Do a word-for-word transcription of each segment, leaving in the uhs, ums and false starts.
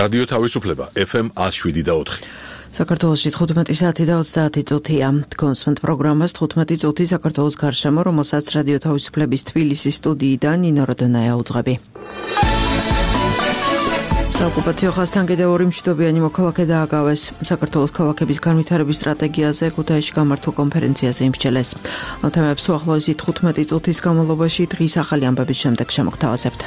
რადიო თავისუფლება ეფ ემ one oh seven და four. საქართველოში თხუთმეტი საათი და ოცდაათი წუთია. Გონსმენთ პროგრამას თხუთმეტი წუთი საქართველოს გარშემო, რომელსაც რადიო თავისუფლების თბილისის სტუდიიდან ნინო როდონაია უძღვები. საოკუპაციო ხაზთან კიდევ ორი მშვიდობიანი მოქალაქე დააგავეს. საქართველოს ქალაქების განვითარების სტრატეგიაზე ქუთაისში გამართულ კონფერენციაზე იმსჯელეს. ამ თემებს უახლოესი თხუთმეტი წუთის განმავლობაში დღის ახალი ამბების შემდეგ შემოგთავაზებთ.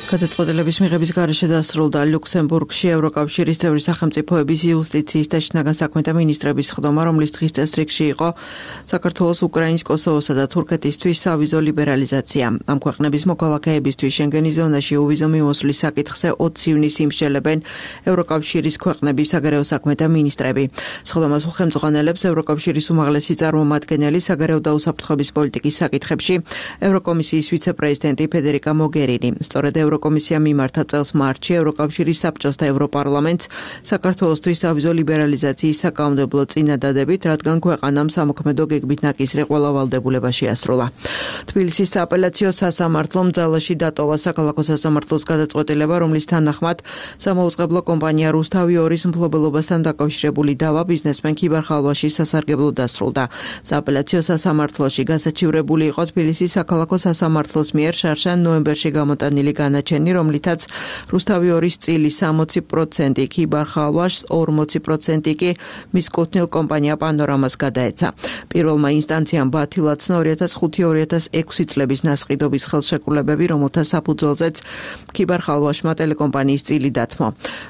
გადაწყვეტილების მიღების გარეშე დასრულდა ლუქსემბურგში ევროკავშირის წევრი სახელმწიფოების იუსტიციის და შინაგან საქმეთა მინისტრების ხდომა, რომლის დღის წესრიგში იყო საქართველოს, უკრაინის, კოსოვოსა და თურქეთისთვის სავიზო ლიბერალიზაცია. ამ ქვეყნების მოქალაქეებისთვის შენგენის ზონაში უვიზო მიმოსვლის საკითხზე ოცი ივნისს იმსჯელებენ ევროკავშირის ქვეყნების საგარეო საქმეთა მინისტრები. სხდომას უხელმძღვანელებს ევროკავშირის უმაღლესი წარმომადგენელი საგარეო და უსაფრთხოების პოლიტიკის საკითხებში ევროკომისიის ვიცე-პრეზიდენტი ფედერიკა მოგერინი. სწორედ კომისია მიმართა წელს მარტში ევროკავშირის საბჭოს და ევროპარლამენტს საქართველოსთვის სავიზო ლიბერალიზაციის საკანონმდებლო წინადადებით, რადგან ქვეყანამ სამოქმედო გეგმით ნაკისრი ყველა ვალდებულება შეასრულა. თბილისის სააპელაციო სასამართლომ ძალაში დატოვა საქალაქო სასამართლოს გადაწყვეტილება, რომლის თანახმად სამაუწყებლო კომპანია რუსთავი ორის მფლობელობასთან დაკავშირებული დავა ბიზნესმენ ქიბარ ხალვაშის სასარგებლოდ დასრულდა. სააპელაციო სასამართლოში გასაჩივრებული იყო თბილისის საქალაქო სასამართლოს მიერ შარშან ნოემბერში გამოტანილი განაჩენი, რომლითაც რუსთავი ორის წილი სამოცი პროცენტი ქიბარ ხალვაშს, ორმოცი პროცენტი კი მის კუთვნილ კომპანია პანორამას გადაეცა. პირველმა ინსტანციამ ბათილაცნო ორი ათას ხუთი ორი ათას ექვსი წლების ნასყიდობის ხელშეკრულებები, რომელთა საფუძველზეც ქიბარ ხალვაშმა ტელეკომპანიის წილი დათმო.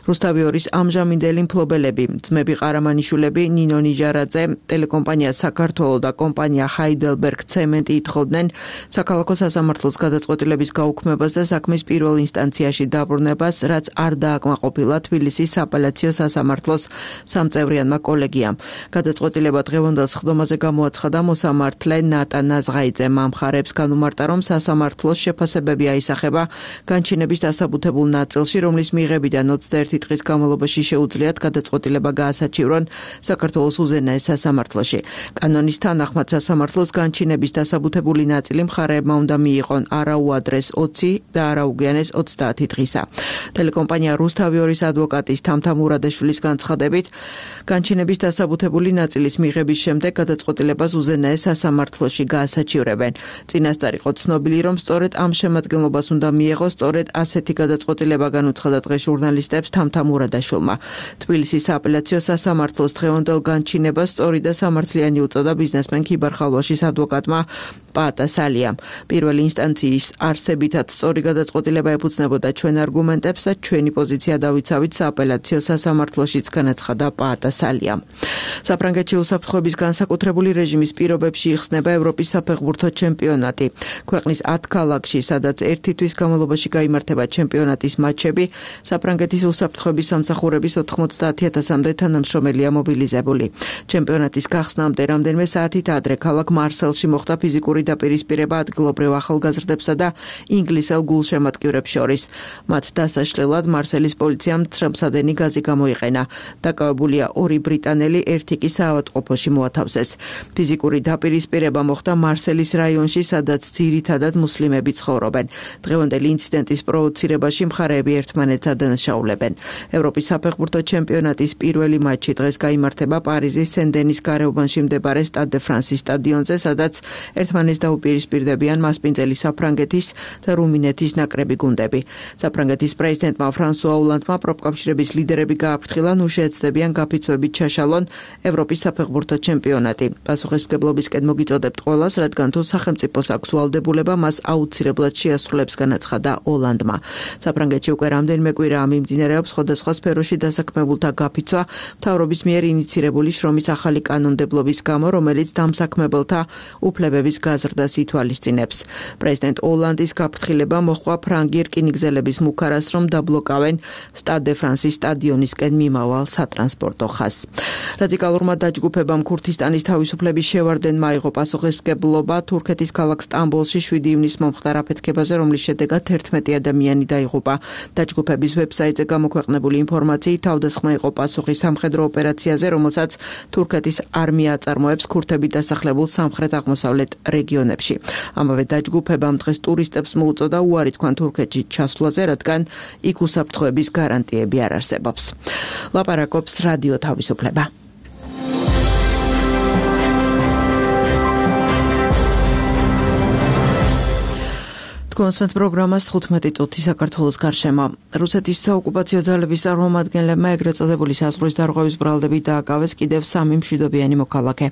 რუსთავი ორის ამჟამინდელი მფლობელები, ძმები ყარამანიშვილები, ნინო ნიჟარაძე, ტელეკომპანია საქართველო და კომპანია ჰაიდელბერგ ცემენტი ითხოვდნენ საქალაქო სასამართლოს გადაწყვეტილების გაუქმებას და საქმის პირველ ინსტანციაში დაბრუნებას, რაც არ დააკმაყოფილა თბილისის სააპელაციო სასამართლოს სამწევრიანმა კოლეგიამ. გადაწყვეტილება დღევანდელ სხდომაზე გამოაცხადა მოსამართლე ნატა ნაზღაიძემ. ამხარებს განუმარტა, რომ სასამართლოს შეფასებები აისახება განჩინების დასაბუთებულ ნაწილში, რომლის მიღებიდან ოცდაერთი დღის განმავლობაში შეუძლიათ გადაწყვეტილება გაასაჩივრონ საქართველოს უზენაეს სასამართლოში. კანონის თანახმად სასამართლოს განჩინების დასაბუთებული ნაწილი მხარეებმა უნდა მიიღონ არაუადრეს ოცი და არაუგიანეს ოცდაათი დღისა. ტელეკომპანია რუსთავი ორის ადვოკატის თამთა მურადაშვილის განცხადებით, განჩინების დასაბუთებული ნაწილის მიღების შემდეგ გადაწყვეტილებას უზენაეს სასამართლოში გაასაჩივრებენ. წინასწარ იყო ცნობილი, რომ სწორედ ამ შემადგენლობას უნდა მიეღოს სწორედ ასეთი გადაწყვეტილება, განუცხადა დღეს ჟურნალისტებს თამთა მურადაშვილმა. თბილისის სააპელაციო სასამართლოს დღევანდელ განჩინებას სწორი და სამართლიანი უწოდა ბიზნესმენ ქიბარ ხალვაშის ადვოკატმა პაატა სალიამ. პირველი ინსტანციის არსებითაც სწორი გადაწყვეტილება ეფუძნებოდა ჩვენ არგუმენტებს და ჩვენი პოზიცია დავიცავით სააპელაციო სასამართლოშიც, განაცხადა პაატა სალიამ. საფრანგეთში უსაფრთხოების განსაკუთრებული რეჟიმის პირობებში იხსნება ევროპის საფეხბურთო ჩემპიონატი. ქვეყნის ათ ქალაქში, სადაც ერთი თვის განმავლობაში გაიმართება ჩემპიონატის მატჩები, საფრანგეთის უსაფრთხოების სამსახურების ოთხმოცდაათი ათასამდე თანამშრომელია მობილიზებული. ჩემპიონატის გახსნამდე რამდენიმე საათით ადრე ქალაქ მარსელში მოხდა ფიზიკური დაპირისპირება ადგილობრივ ახალგაზრდებსა და ინგლისელ გულშემატკივრებს შორის. მათ დასაშლელად მარსელის პოლიციამ ცრემლსადენი გაზი გამოიყენა. დაკავებულია ორი ბრიტანელი, ერთი კი საავადმყოფოში მოათავსეს. ფიზიკური დაპირისპირება მოხდა მარსელის რაიონში, სადაც ძირითადად მუსლიმები ცხოვრობენ. დღევანდელი ინციდენტის პროვოცირებაში მხარეები ერთმანეთს ადანაშაულებენ. ევროპის საფეხბურთო ჩემპიონატის პირველი მატჩი დღეს გაიმართება პარიზის სენ-დენის გარეუბანში მდებარე სტად დე ფრანსის სტადიონზე, სადაც ერთმანეთს დაუპირისპირდებიან მასპინძელი საფრანგეთის და რუმინეთის ნაკრები გუნდები. საფრანგეთის პრეზიდენტმა ფრანსუა ოლანდმა პროფკავშირების ლიდერები გააფრთხილა, ნუ შეეცდებიან გაფიცვებით ჩაშალონ ევროპის საფეხბურთო ჩემპიონატი. პასუხისმგებლობისკენ მოგიწოდებთ ყველას, რადგან თუ სახელმწიფოს აქვს ვალდებულება, მას აუცილებლად შეასრულებს, განაცხადა ოლანდმა. საფრანგეთში უკვე რამდენიმე კვირაა მიმდინარეობს სხვადასხვა სფეროში დასაქმებულთა გაფიცვა მთავრობის მიერ ინიცირებული შრომის ახალი კანონმდებლობის გამო, რომელიც დამსაქმებელთა უფლებების გაზრდას ითვალისწინებს. პრეზიდენტ ოლანდის გაფრთხილება მოჰყვა ფრანგ რომანგი რკინიგზელების მუქარას, რომ დაბლოკავენ სტად დე ფრანსის სტადიონისკენ მიმავალ სატრანსპორტო ხაზს. რადიკალურმა დაჯგუფებამ ქურთისტანის თავისუფლების შევარდენმა აიღო პასუხისმგებლობა თურქეთის ქალაქ სტამბოლში შვიდი ივნისის მომხდარ აფეთქებაზე, რომლის შედეგად თერთმეტი ადამიანი დაიღუპა. დაჯგუფების ვებსაიტზე გამოქვეყნებული ინფორმაციით თავდასხმა იყო პასუხი სამხედრო ოპერაციაზე, რომელსაც თურქეთის არმია აწარმოებს ქურთები დასახლებულ სამხრეთ-აღმოსავლეთ რეგიონებში. ამავე დაჯგუფებამ დღეს ტურისტებს მოუწოდა უარი თქვან თურქეთში ჩასვლაზე, რადგან იქ უსაფრთხოების გარანტიები არ არსებობს. ლაპარაკობს რადიო თავისუფლება. კონსმეთ პროგრამას თხუთმეტი წუთი საქართველოს გარშემო. რუსეთის საოკუპაციო ძალების წარმომადგენლებმა ეგრეთ წოდებული საზღვრის დარღვევის ბრალდებით დააკავეს კიდევ სამი მშვიდობიანი მოქალაქე.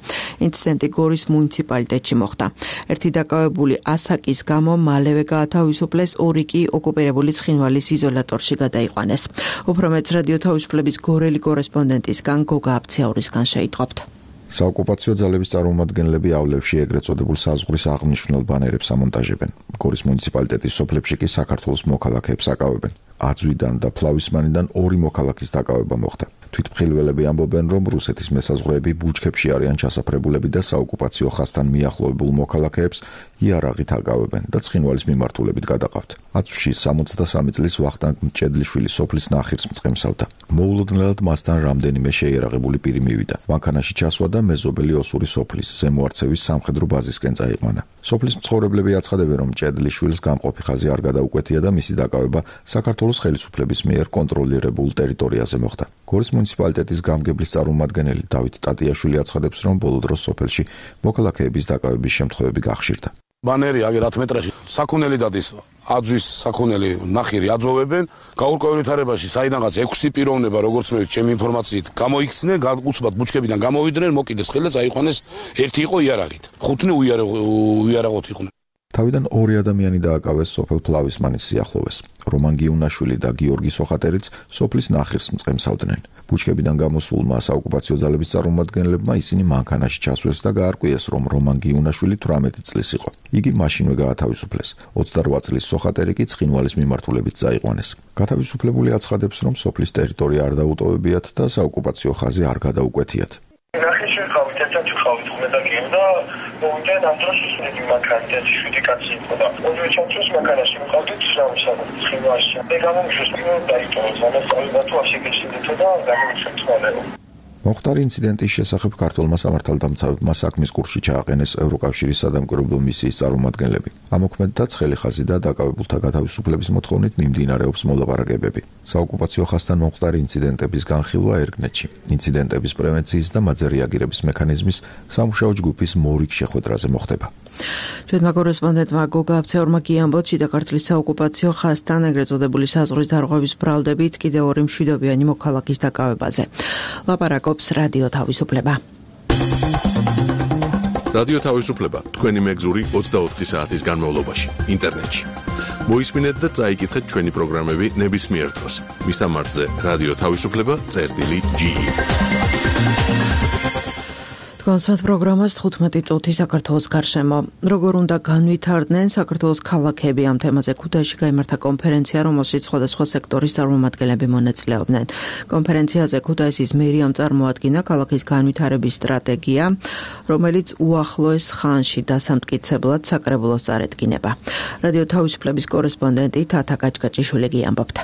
ინციდენტი გორის მუნიციპალიტეტში მოხდა. ერთი დაკავებული ასაკის გამო მალევე გაათავისუფლეს, ორი კი ოკუპირებული ცხინვალის იზოლატორში გადაიყვანეს. უფრო მეც რადიო თავისუფლების გორელი კორესპონდენტისგან გოგა აფციაურისგან შეიტყობთ. საოკუპაციო ძალების წარმომადგენლებიავლებში ეგრეთ წოდებულ საზღვრის აღნიშნულ ბანერებს ამონტაჟებენ. გორის მუნიციპალიტეტის სოფლებში კი საქართველოს მოქალაქეებს აკავებენ. აძვიდან და ფლავისმანიდან ორი მოქალაქის დაკავება მოხდა. თვითმხილველები ამბობენ, რომ რუსეთის მესაზღვრეები ბუჩქებში არიან ჩასაფრებულები და საოკუპაციო ხაზთან მიახლოებულ მოქალაქეებს იარაღით აკავებენ და ცხინვალის მიმართულებით გადაყავთ. აცვში სამოცდასამი წლის ვახტანგ მჭედლიშვილი სოფლის ნახირს მწყემსავდა. მოულოდნელად მასთან რამდენიმე შეიარაღებული პირი მივიდა. მანქანაში ჩასვა და მეზობელი ოსური სოფლის ზემოარცევის სამხედრო ბაზისკენ წაიყვანა. სოფლის მცხოვრებლები აცხადებენ, რომ მჭედლიშვილს გამყოფი ხაზი არ გადაუკვეთია და მისი დაკავება საქართველოს ხელისუფლების მიერ კონტროლირებულ ტერიტორიაზე მოხდა. გორის მუნიციპალიტეტის გამგებლის წარმომადგენელი დავით ტატიაშვილი აცხადებს, რომ ბოლო დროს სოფელში მოქალაქეების დაკავების შემთხვევები გახშირდა. ბანერი აგერ ათ მეტრაში საქონელი დადის აძვის საქონელი ნახირი აძოვებენ გაურკვეველ ვითარებაში საიდანღაც ექვსი პიროვნება როგორც მე ჩემი ინფორმაციით გამოიქცნენ უცბად ბუჩქებიდან გამოვიდნენ მოკიდეს ხელა წაიყვანეს ერთი იყო იარაღით ხუთნი უიარაღოთ იყვნენ. თავიდან ორი ადამიანი დააკავეს სოფელ ფლავისმანის სიახლოვეს. რომან გიუნაშვილი და გიორგი სოხატერიც სოფლის ნახირს მწყემსავდნენ. ბუჩქებიდან გამოსულმა საოკუპაციო ძალების წარმომადგენლებმა ისინი მანქანაში ჩასვეს და გაარკვიეს, რომ რომან გიუნაშვილი თვრამეტი წლის იყო. იგი მაშინვე გაათავისუფლეს. ოცდარვა წლის სოხატერი კი ცხინვალის მიმართულებით წაიყვანეს. გათავისუფლებული აცხადებს, რომ სოფლის ტერიტორია არ დაუტოვებიათ და საოკუპაციო ხაზი არ გადაუკვეთიათ. ნახიში ხავთ ერთად ხავთ უმეტაკია და მოუნდა ამ დროს ისინი მანქანით შვიდი კაცი იყო და ორივე ჩამწეს მანქანაში მიყავდით სამსა ცხინვალში. მე გამომიშვეს პირველ დაიტოვეს ამას ალბათ ასე გეცინდით და გამომიშვეს თვალეო. მოხდარი ინციდენტის შესახებ ქართულმა სამართალდამცავებმა საქმის კურსში ჩააყენეს ევროკავშირის სადამკვირვებლო მისიის წარმომადგენლები. ამოქმედდა ცხელი ხაზი და დაკავებულთა გათავისუფლების მოთხოვნით მიმდინარეობს მოლაპარაკებები. საოკუპაციო ხაზთან მომხდარი ინციდენტების განხილვა ერგნეთში. ინციდენტების პრევენციის და მათზე რეაგირების მექანიზმის სამუშაო ჯგუფის მორიგ შეხვედრაზე მოხდება. ჩვენმა კორესპონდენტმა გოგა აფციაურმა გიამბოთ, შიდა ქართლის საოკუპაციო ხაზთან ეგრეთ წოდებული საზღვრის დარღვევის ბრალდებით კიდევ ორი მშვიდობიანი მოქალაქის დაკავებაზე. ლაპარაკობს რადიო თავისუფლება. რადიო თავისუფლება თქვენი მეგზური ოცდაოთხი საათის განმავლობაში ინტერნეტში. მოისმინეთ და წაიკითხეთ ჩვენი პროგრამები ნებისმიერ დროს. მისამართზე რადიო თავისუფლება წერტილი ჯი ი. კონსმეთ პროგრამას თხუთმეტი წუთი საქართველოს გარშემო. როგორ უნდა განვითარდნენ საქართველოს ქალაქები, ამ თემაზე ქუთაისში გაიმართა კონფერენცია, რომელშიც სხვადასხვა სექტორის წარმომადგენლები მონაწილეობდნენ. კონფერენციაზე ქუთაისის მერიამ წარმოადგინა ქალაქის განვითარების სტრატეგია, რომელიც უახლოეს ხანში დასამტკიცებლად საკრებულოს წარედგინება. რადიო თავისუფლების კორესპონდენტი თათა კაჭკაჭიშვილი გიამბობდა.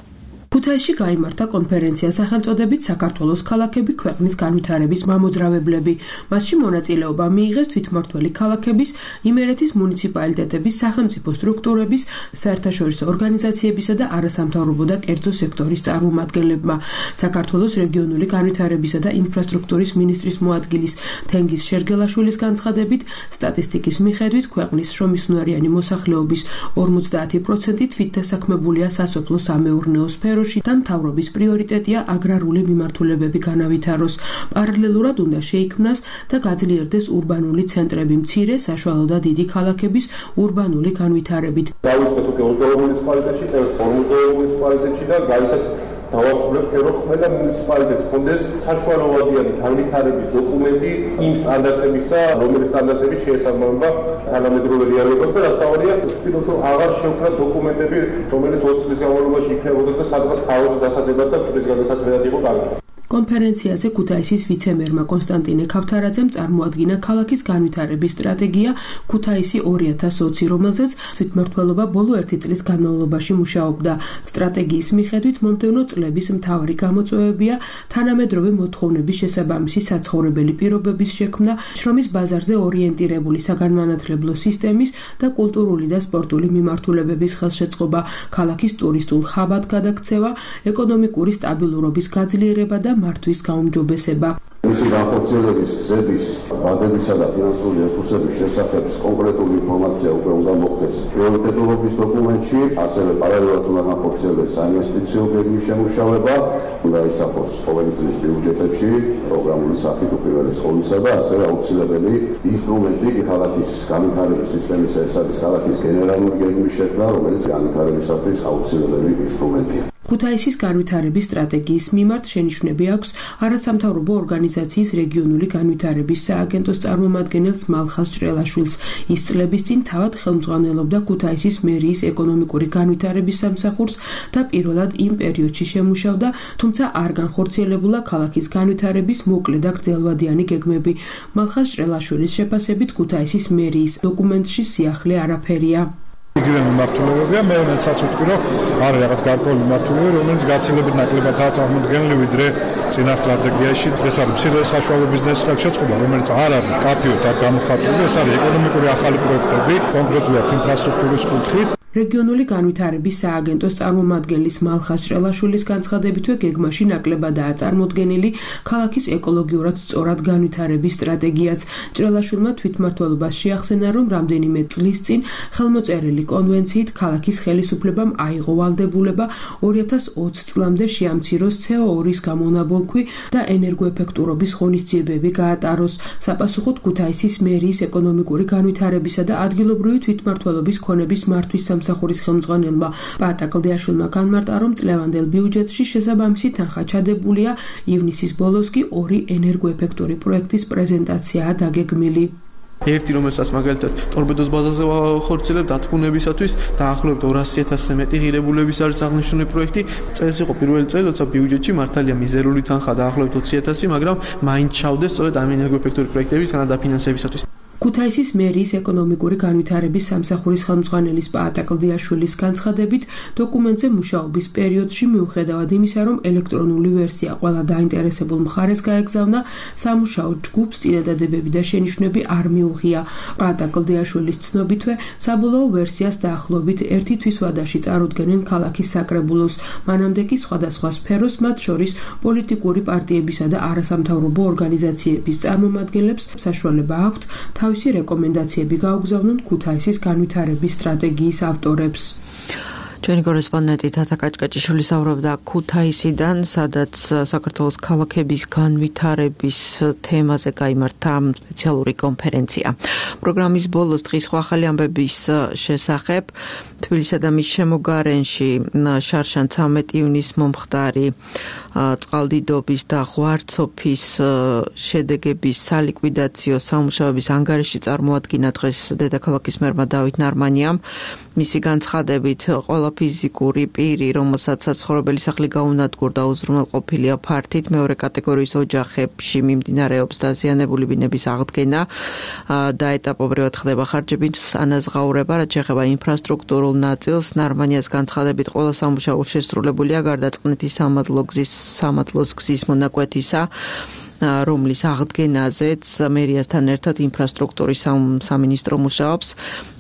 ქუთაისში გაიმართა კონფერენცია სახელწოდებით საქართველოს ქალაქები ქვეყნის განვითარების მამოძრავებლები. მასში მონაწილეობა მიიღეს თვითმმართველი ქალაქების, იმერეთის მუნიციპალიტეტების, სახელმწიფო სტრუქტურების, საერთაშორისო ორგანიზაციებისა და არასამთავრობო და კერძო სექტორის წარმომადგენლებმა. საქართველოს რეგიონული განვითარებისა და ინფრასტრუქტურის მინისტრის მოადგილის თენგიზ შერგელაშვილის განცხადებით, სტატისტიკის მიხედვით ქვეყნის შრომისუნარიანი მოსახლეობის ორმოცდაათი პროცენტი თვითდასაქმებულია სასოფლო-სამეურნეო სფეროში და მთავრობის პრიორიტეტია აგრარული მიმართულებები განავითაროს. პარალელურად უნდა შეიქმნას და გაძლიერდეს ურბანული ცენტრები მცირე, საშუალო და დიდი ქალაქების ურბანული განვითარებით. დავიწყეთ უკვე ოცდაორი მუნიციპალიტეტში, ოცდაორი მუნიციპალიტეტში და გაიცეთ დავასრულებთ, რომ ყველა მუნიციპალიტეტს ჰქონდეს საშუალოვადიანი განვითარების დოკუმენტი იმ სტანდარტებისა, რომელი სტანდარტები შეესაბამება თანამედროვე რეალობას და რა თქმა უნდა, ვცდილობთ, რომ აღარ შევქმნათ დოკუმენტები, რომელიც ოცი წლის განმავლობაში იქნებოდა და სადღაც თავის დასადებად და ტურის გადასაცდელად იყო განხილული. კონფერენციაზე ქუთაისის ვიცე-მერმა კონსტანტინე ქავთარაძემ წარმოადგინა ქალაქის განვითარების სტრატეგია ქუთაისი ორი ათას ოცი, რომელზეც თვითმმართველობა ბოლო ერთი წლის განმავლობაში მუშაობდა. სტრატეგიის მიხედვით მომდევნო წლების მთავარი გამოწვევებია თანამედროვე მოთხოვნების შესაბამისი საცხოვრებელი პირობების შექმნა, შრომის ბაზარზე ორიენტირებული საგანმანათლებლო სისტემის და კულტურული და სპორტული მიმართულებების ხელშეწყობა, ქალაქის ტურისტულ ხაბად გადაქცევა, ეკონომიკური სტაბილურობის გაძლიერება და მართვის გაუმჯობესება. მისი განხორციელების გზების, ვადებისა და ფინანსური რესურსების შესახებ კონკრეტული ინფორმაცია უკვე უნდა მოხდეს პრიორიტეტულობის დოკუმენტში, ასევე პარალელურად უნდა განხორციელდეს საინვესტიციო გეგმის შემუშავება, უნდა ისახოს ყოველი წლის ბიუჯეტებში პროგრამული სახით უპირველეს ყოვლისა და ასევე აუცილებელი ინსტრუმენტი ქალაქის განვითარების სისტემის, ეს არის ქალაქის გენერალური გეგმის შექმნა, რომელიც განვითარებისათვის აუცილებელი ინსტრუმენტია. ქუთაისის განვითარების სტრატეგიის მიმართ შენიშვნები აქვს არასამთავრობო ორგანიზაციის რეგიონული განვითარების სააგენტოს წარმომადგენელს მალხაზ ჭრელაშვილს. ის წლების წინ თავად ხელმძღვანელობდა ქუთაისის მერიის ეკონომიკური განვითარების სამსახურს და პირველად იმ პერიოდში შემუშავდა, თუმცა არ განხორციელებულა ქალაქის განვითარების მოკლე და გრძელვადიანი გეგმები. მალხაზ ჭრელაშვილის შეფასებით ქუთაისის მერიის დოკუმენტში სიახლე არაფერია. იგივე მიმართულებებია, მე მეცაც ვიტყვი, რომ არის რაღაც გარკვეული მიმართულებები, რომელიც გაცილებით ნაკლებადაა წარმოდგენილი ვიდრე წინა სტრატეგიაში. ეს არის მცირე საშუალო ბიზნესის ხელშეწყობა, რომელიც არ არის კაფეოდ არ გამოხატული, ეს არის ეკონომიკური ახალი პროექტები, კონკრეტულად ინფრასტრუქტურის კუთხით. რეგიონული განვითარების სააგენტოს წარმომადგენლის მალხაზ ჭრელაშვილის განცხადებითვე გეგმაში ნაკლებადაა წარმოდგენილი ქალაქის ეკოლოგიურად სწორად განვითარების სტრატეგიაც. ჭრელაშვილმა თვითმმართველობას შეახსენა, რომ რამდენიმე წლის წინ ხელმოწერილი კონვენციით ქალაქის ხელისუფლებამ აიღო ვალდებულება ორი ათას ოცი წლამდე შეამციროს ცე ო ორის გამონაბოლქვი და ენერგოეფექტურობის ღონისძიებები გაატაროს. საპასუხოდ ქუთაისის მერიის ეკონომიკური განვითარებისა და ადგილობრივი თვითმმართველობის ქონების მართვის სამსახურის ხელმძღვანელმა პაატა კლდიაშვილმა განმარტა, რომ წლევანდელ ბიუჯეტში შესაბამისი თანხა ჩადებულია, ივნისის ბოლოს კი ორი ენერგოეფექტური პროექტის პრეზენტაციაა დაგეგმილი. ერთი, რომელსაც მაგალითად ტორპედოს ბაზაზე ხორციელებ დათბუნებისათვის დაახლოებით ორასი ათასზე მეტი ღირებულების არის აღნიშნული პროექტი. წელს იყო პირველი წელი, როცა ბიუჯეტში მართალია მიზერული თანხა დაახლოებით ოცი ათასი, მაგრამ მაინც ჩავდეს სწორედ ამ ენერგოეფექტური პროექტების განადაფინანსებისათვის. ქუთაისის მერიის ეკონომიკური განვითარების სამსახურის ხელმძღვანელის პაატა კლდიაშვილის განცხადებით, დოკუმენტზე მუშაობის პერიოდში მიუხედავად იმისა, რომ ელექტრონული ვერსია ყველა დაინტერესებულ მხარეს გაეგზავნა, სამუშაო ჯგუფს წინადადებები და შენიშვნები არ მიუღია. პაატა კლდიაშვილის ცნობითვე, საბოლოო ვერსიას დაახლოებით ერთი თვის ვადაში წარუდგენენ ქალაქის საკრებულოს, მანამდე კი სხვადასხვა სფეროს, მათ შორის პოლიტიკური პარტიებისა და არასამთავრობო ორგანიზაციების წარმომადგენლებს საშუალება აქვთ თავისი რეკომენდაციები გაუგზავნონ ქუთაისის განვითარების სტრატეგიის ავტორებს. ჩვენი კორესპონდენტი თათა კაჭკაჭიშვილი საუბრობდა ქუთაისიდან, სადაც საქართველოს ქალაქების განვითარების თემაზე გაიმართა სპეციალური კონფერენცია. პროგრამის ბოლოს დღის სხვა ახალი ამბების შესახებ თბილისსა და მის შემოგარენში შარშან ცამეტი ივნის მომხდარი წყალდიდობის და ღვარცოფის შედეგების სალიკვიდაციო სამუშაოების ანგარიში წარმოადგინა დღეს დედაქალაქის მერმა დავით ნარმანიამ. მისი განცხადებით, ყველა ფიზიკური პირი, რომელსაც საცხოვრებელი სახლი გაუნადგურდა, უზრუნველყოფილია ფართით, მეორე კატეგორიის ოჯახებში მიმდინარეობს დაზიანებული ბინების აღდგენა და ეტაპობრივად ხდება ხარჯების ანაზღაურება, რაც შეეხება ინფრასტრუქტურულ ნაწილს. ნარმანიას განცხადებით, ყველა სამუშაო შესრულებულია გარდა წყნეთის სამადლო გზის სამადლოს გზის მონაკვეთისა, რომლის აღდგენაზეც მერიასთან ერთად ინფრასტრუქტურის სამინისტრო მუშაობს.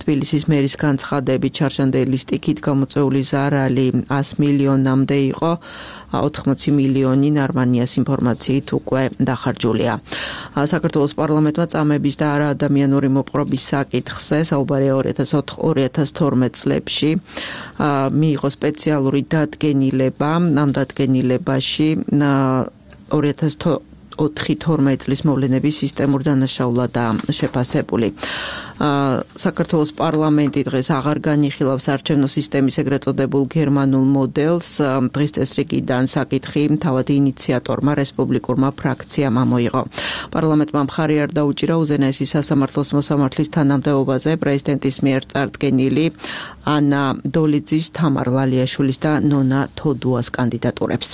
თბილისის მერის განცხადებით, ჩარჩანდელი სტიქით გამოწვეული ზარალი ას მილიონამდე იყო, ოთხმოცი მილიონი ნარმანიას ინფორმაციით უკვე დახარჯულია. საქართველოს პარლამენტმა წამების და არაადამიანური მოპყრობის საკითხზე საუბარია ორი ათას თორმეტ წლებში მიიღო სპეციალური დადგენილება. ამ დადგენილებაში ორი ათას ოთხი თორმეტ წლის მოვლენების სისტემურ დანაშაულადაა შეფასებული. საქართველოს პარლამენტი დღეს აღარ განიხილავს არჩევნო სისტემის ეგრეთ წოდებულ გერმანულ მოდელს. დღის წესრიგიდან საკითხი თავად ინიციატორმა რესპუბლიკურმა ფრაქციამ ამოიღო. პარლამენტმა მხარი არ დაუჭირა უზენაესი სასამართლოს მოსამართლის თანამდებობაზე პრეზიდენტის მიერ წარდგენილი ანა დოლიძის, თამარ ვალიაშვილის და ნონა თოდუას კანდიდატურებს.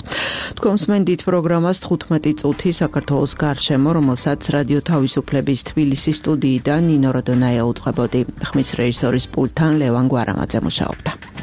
თქვენ მსმენდით პროგრამას თხუთმეტი წუთი საქართველოს გარშემო, რომელსაც რადიო თავისუფლების თბილისის სტუდიიდან ნინო როდონაია უძღვებოდი. ხმის რეჟისორის პულტთან ლევან გვარამაძე მუშაობდა.